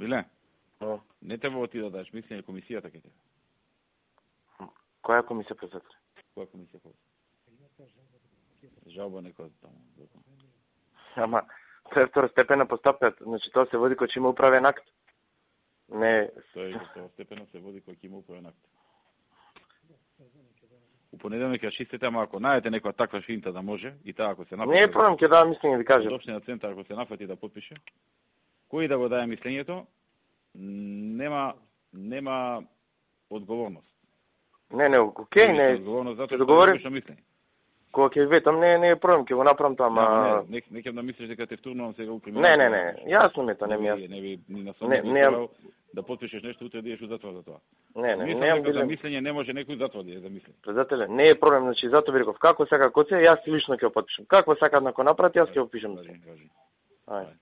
Биле? No. Не треба ти да дадеш мислење, комисијата ќе те. Која комисија, председател? Која комисија ќе? Жалба некоја таму. Ама, тоа е второстепена постапка, значи тоа се води кој ќе има управен акт. Не, Тоа е второстепено се води кој ќе има управен акт. У понеделник ја чистите, ама ако најдете некоја таква финта да може, и таа ако се нафати... Не е проблем, ќе дадам мислење ви кажам. Од општина центар, ако се нафати да подпише, кој да го даде мислењето, нема одговорност. Не, окей, не. Одговорност затоа ќе договорим. што мислење. Кога ќе ветам, не е проблем, ќе го направам тоа, ама... Не ќе да мислиш дека те втурнувам сега у криминал. Не, јасно ми тоа, не ми јасно. Не ви ни на самото да подпишеш нешто, утре да идеш у затвор за тоа. Не, Мислам дека за мислење не може некој затвор да е за мислење. Председателе, не е проблем, значи затоа ви реков, како сака коце, јас лично ќе го подпишам. Како сака да го направите, јас ќе го пишам. Кажи. Ајде.